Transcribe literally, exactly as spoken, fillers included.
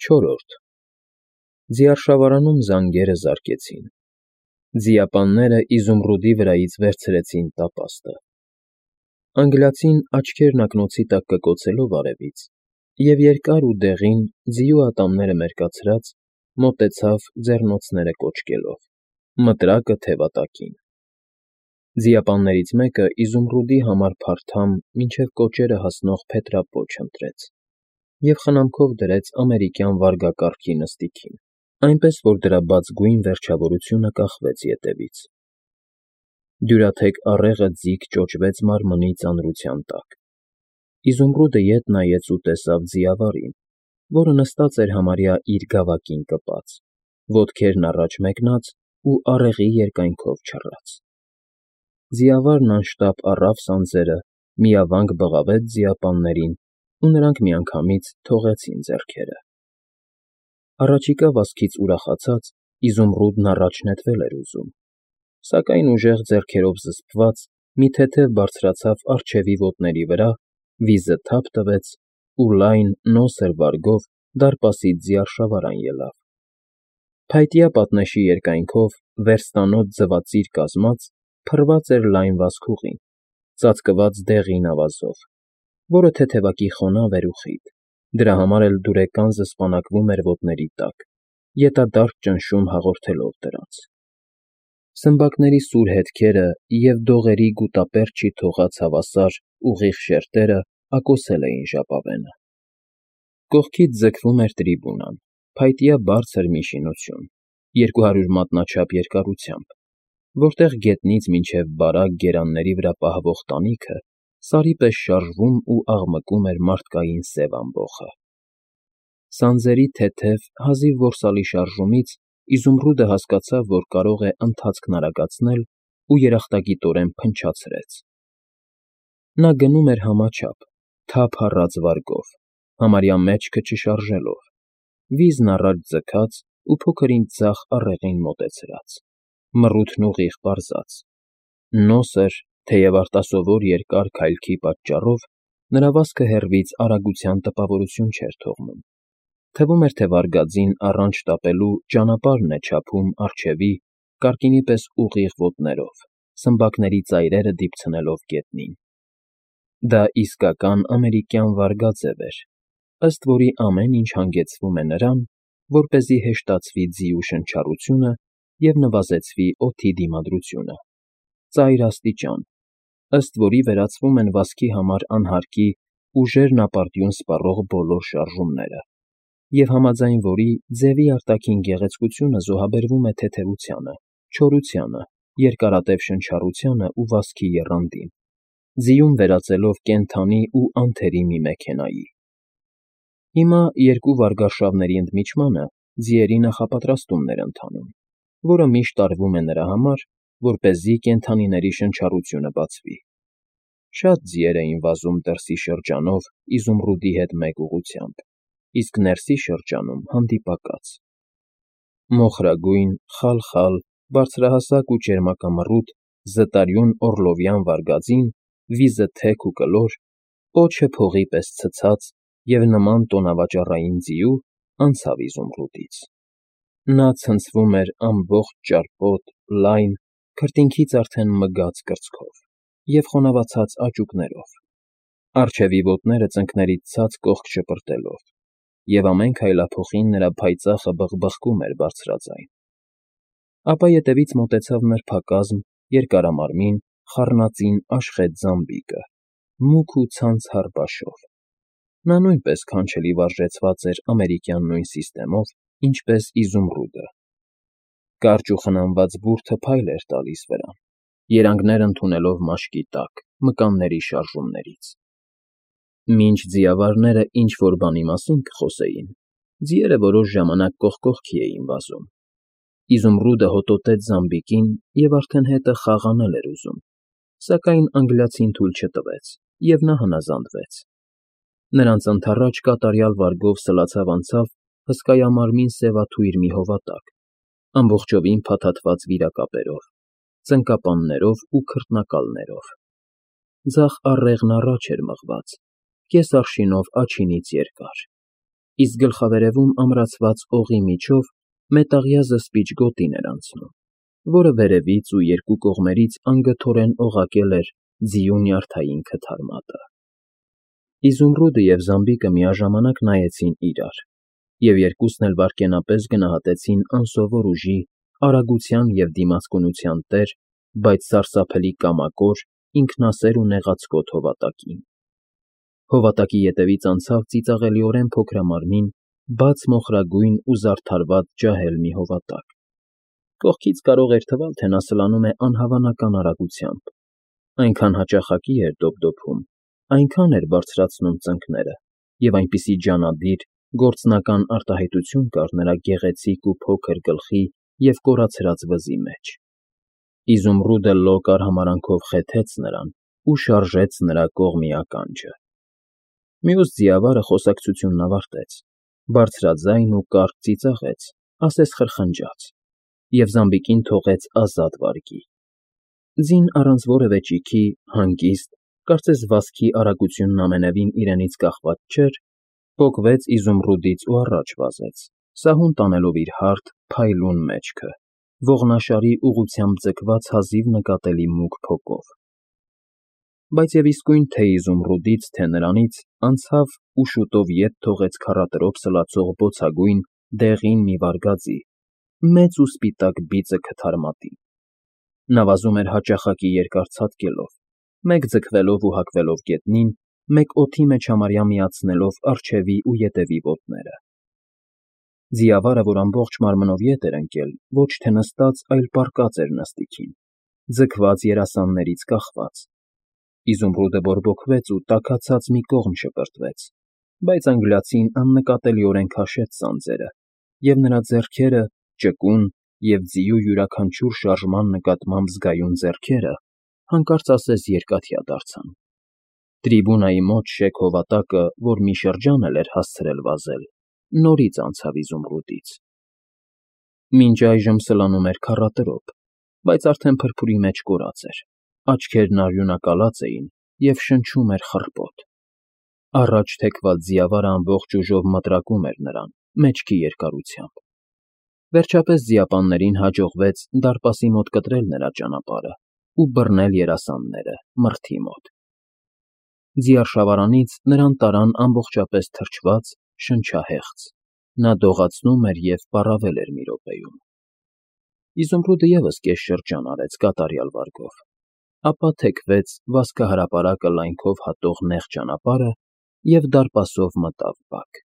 Չորրորդ Ձիարշավարանում զանգերը զարկեցին։ Ձիապանները Իզումրուդի վրայից վերցրեցին տապաստը։ Անգլիացին աչքերն ակնոցի տակ կկոցելով արևից և երկար ու դեղին, ձիու ատամները մերկացրած, մոտեցավ ձեռնոցները կոճկելով, մտրակը թևատակին։ Ձիապաններից մեկը Իզումրուդի համար փարթամ մինչև կոճերը հասնող փետրապոչ ընտրեց և խնամքով դրեց ամերիկյան վարգակառքի նստիքին, այնպես որ դրա բաց գույն վերջավորությունը կախվեց ետևից։ Դյուրաթեք առեղը ձիգ ճոճվեց մարմնի ծանրության տակ։ Իզումրուդը ետ նայեց ու տեսավ ձիավարին, որը նստած էր համարյա իր գավակին կպած, ոտքերն առաջ մեկնած ու առեղի երկայնքով չռած։ Ձիավարն անշտապ առավ սանձերը, միավանք բղավեց ձիապաններին, ու նրանք միանգամից թողեցին ձեռքերը։ Առաջիկա վազքից ուրախացած՝ Իզումրուդն առաջ նետվել էր ուզում, սակայն ուժեղ ձեռքերով զսպված, մի թեթև բարձրացավ առջևի ոտների վրա, վիզը թափ տվեց ու լայն, նոսր վարգով դարպասից ձիարշավարան ելավ։ Փայտյա պատնեշի երկայնքով, վերստանոց ձվածիր կազմած, փռված էր լայն վազքուղին, ծածկված դեղին ավազով, որը թեթևակի խոնավ էր ու խիտ, դրա համար էլ դուրեկան զսպանակվում էր ոտների տակ, ետադարձ ճնշում հաղորդելով դրանց։ Սմբակների սուր հետքերը և դողերի գուտապերճի թողած հավասար, ուղիղ շերտերը ակոսել էին ժապավենը։ Կողքից ձգվում էր տրիբունան, փայտյա բարձր մի շինություն, երկու հարյուր մատնաչափ երկարությամբ, որտեղ գետնից մինչև բարակ գերանների վրա պահվող տանիքը սարի պես շարժվում ու աղմկում էր մարդկային սև ամբոխը։ Սանձերի թեթև, հազիվ որսալի շարժումից Իզումրուդը հասկացավ, որ կարող է ընթացքն արագացնել ու երախտագիտորեն փնչացրեց։ Նա գնում էր համաչափ, թափ հառած վարգով, համարյա մեջքը չշարժելով, վիզն առաջ ձգած ու փոքր֊ինչ ձախ առեղին մոտեցրած, մռութն ուղիղ պարզած։ Նոսր, թեև արտասովոր երկար քայլքի պատճառով նրա վազքը հեռվից արագության տպավորություն չէր թողնում, թվում էր, թե վարգածին առանց շտապելու ճանապարհն է չափում առջևի, կարկինի պես ուղիղ ոտներով, սմբակների ծայրերը դիպցնելով գետնին։ Դա իսկական ամերիկյան վարգաձև էր, ըստ որի ամեն ինչ հանգեցվում է նրան, որպեսզի հեշտացվի ձիու շնչառությունը և նվազեցվի օդի դիմադրությունը, ծայր աստիճան, ըստ որի վերացվում են վազքի համար անհարկի ուժերն ապարդյուն սպառող բոլոր շարժումները, և համաձայն որի ձևի արտաքին գեղեցկությունը զոհաբերվում է թեթևությանը, չորությանը, երկարատև շնչառությանը ու վազքի եռանդին, ձիուն վերածելով կենդանի ու անթերի մի մեքենայի։ Հիմա, երկու վարգարշավների ընդմիջմանը, ձիերի նախապատրաստումն էր ընթանում, որը միշտ տարվում է նրա համար, որպեսզի կենդանիների շնչառությունը բացվի։ Շատ ձիեր էին վազում դրսի շրջանով Իզումրուդի հետ մեկ ուղղությամբ, իսկ ներսի շրջանում հանդիպակաց։ Մոխրագույն, խալխալ, բարձրահասակ ու ճերմակամռութ, զտարյուն օռլովյան վարգածին, վիզը թեք ու կլոր, պոչը փողի պես ցցած և նման տոնավաճառային ձիու, անցավ Իզումրուդից։ Նա ցնցվում էր ամբողջ ճարպոտ, լայն, քրտինքից արդեն մգած կրծքով և խոնավացած աճուկներով, առջևի ոտները ծնկներից ցած կողք շպրտելով, և ամեն քայլափոխին նրա փայծաղը բխկխկում էր բարձրաձայն։ Ապա ետևից մոտեցավ նրբակազմ, երկարամարմին, խառնածին աշխատ զամբիկը, մուգ ու ցանցառ բաշով։ Նա նույնպես քանչելի վարժեցված էր ամերիկյան նույն սիստեմով, ինչպես Իզումրուդը։ Կարճ ու խնամված բուրդը փայլ էր տալիս վրան, երանգներ ընդունելով մաշկի տակ, մկանների շարժումներից։ Մինչ ձիավարները ինչ֊որ բանի մասին կխոսեին, ձիերը որոշ ժամանակ կողք կողքի էին վազում։ Իզումրուդը հոտոտեց զամբիկին և արդեն հետը խաղ անել էր ուզում, սակայն անգլիացին թույլ չտվեց, և նա հնազանդվեց։ Նրանց ընդառաջ կատարյալ վարգով սլացավ անցավ հսկայամարմին սևաթույր մի հովատակ, ամբողջովին փաթաթված վիրակապերով, ծնկապաններով ու քրտնակալներով։ Ձախ առեղն առաջ էր մղված, կես արշինով աջինից երկար, իսկ գլխավերևում ամրացված օղի միջով մետաղյա զսպիչ գոտին էր անցնում, որը վերևից ու երկու կողմերից անգթորեն օղակել էր ձիու նյարդային քթար մատը։ Իզումրուդը և զամբիկը միաժամանակ նայեցին իրար, և երկուսն էլ վայրկենապես գնահատեցին անսովոր ուժի, արագության և դիմացկունության տեր, բայց սարսափելի կամակոր, ինքնասեր ու նեղացկոտ հովատակին։ Հովատակի ետևից անցավ ծիծաղելիորեն փոքրամարմին, բաց մոխրագույն ու զարդարված ջահել մի հովատակ։ Կողքից կարող էր թվալ, թե նա սլանում է անհավանական արագությամբ, այնքան հաճախակի էր դոփդոփում, այնքան էր բարձրացնում ծնկները և այնպիսի ջանադիր, գործնական արտահայտություն կար նրա գեղեցիկ ու փոքր գլխի և կորացրած վզի մեջ։ Իզումրուդը լոկ արհամարհանքով խեթեց նրան ու շարժեց նրա կողմի ականջը։ Մյուս ձիավարը խոսակցությունն ավարտեց, բարձրաձայն ու կարճ ծիծաղեց, ասես խրխնջաց, և զամբիկին թողեց ազատ վարքի։ Ձին առանց որևէ ճիգի, հանգիստ, կարծես վազքի արագությունն ամենևին իրենից կախված չէր, պոկվեց Իզումրուդից ու առաջ վազեց, սահուն տանելով իր հարթ, փայլուն մեջքը, ողնաշարի ուղղությամբ ձգված հազիվ նկատելի մուգ փոկով։ Բայց և իսկույն թե՛ Իզումրուդից, թե՛ նրանից անցավ ու շուտով ետ թողեց քառատրոփ սլացող բոցագույն, դեղին մի վարգաձի, մեծ ու սպիտակ բիծը քթար մատին։ Նա վազում էր հաճախակի երկար ցատկելով, մեկ ձգվելով ու հակվելով գետնին, մեկ օդի մեջ համարյա միացնելով առջևի ու ետևի ոտները։ Ձիավարը, որ ամբողջ մարմնով ետ էր ընկել, ոչ թե նստած, այլ պառկած էր նստիքին, ձգված երասաններից կախված։ Իզումրուդը բորբոքվեց ու տաքացած մի կողմ շպրտվեց, բայց անգլիացին աննկատելիորեն քաշեց սանձերը, և նրա ձեռքերը, ճկուն և ձիու յուրաքանչյուր շարժման նկատմամբ զգայուն ձեռքերը, հանկարծ ասես երկաթյա դարձան։ Տրիբունայի մոտ շեք հովատակը, որ մի շրջան էլ էր հասցրել վազել, նորից անցավ Իզումրուդից։ Մինչ այժմ սլանում էր քառատրոփ, բայց արդեն փրփուրի մեջ կորած էր, աչքերն արյունակալած էին և շնչում էր խռպոտ։ Առաջ թեքված ձիավարը ամբողջ ուժով մտրակում էր նրան, մեջքի երկարությամբ։ Վերջապես ձիապաններին հաջողվեց դարպասի մոտ կտրել նրա ճանապարհն ու բռնել երասանները մրթի մոտ։ Ձիարշավարանից նրան տարան ամբողջապես թրջված, շնչահեղձ, նա դողացնում էր և պառավել էր մի րոպեում։ Իզումրուդը ևս կես շրջան արեց կատարյալ վարգով, ապա թեքվեց վազքահրապարակը լայնքով հատող նեղ ճանապարհը և դարպասով մտավ բակ։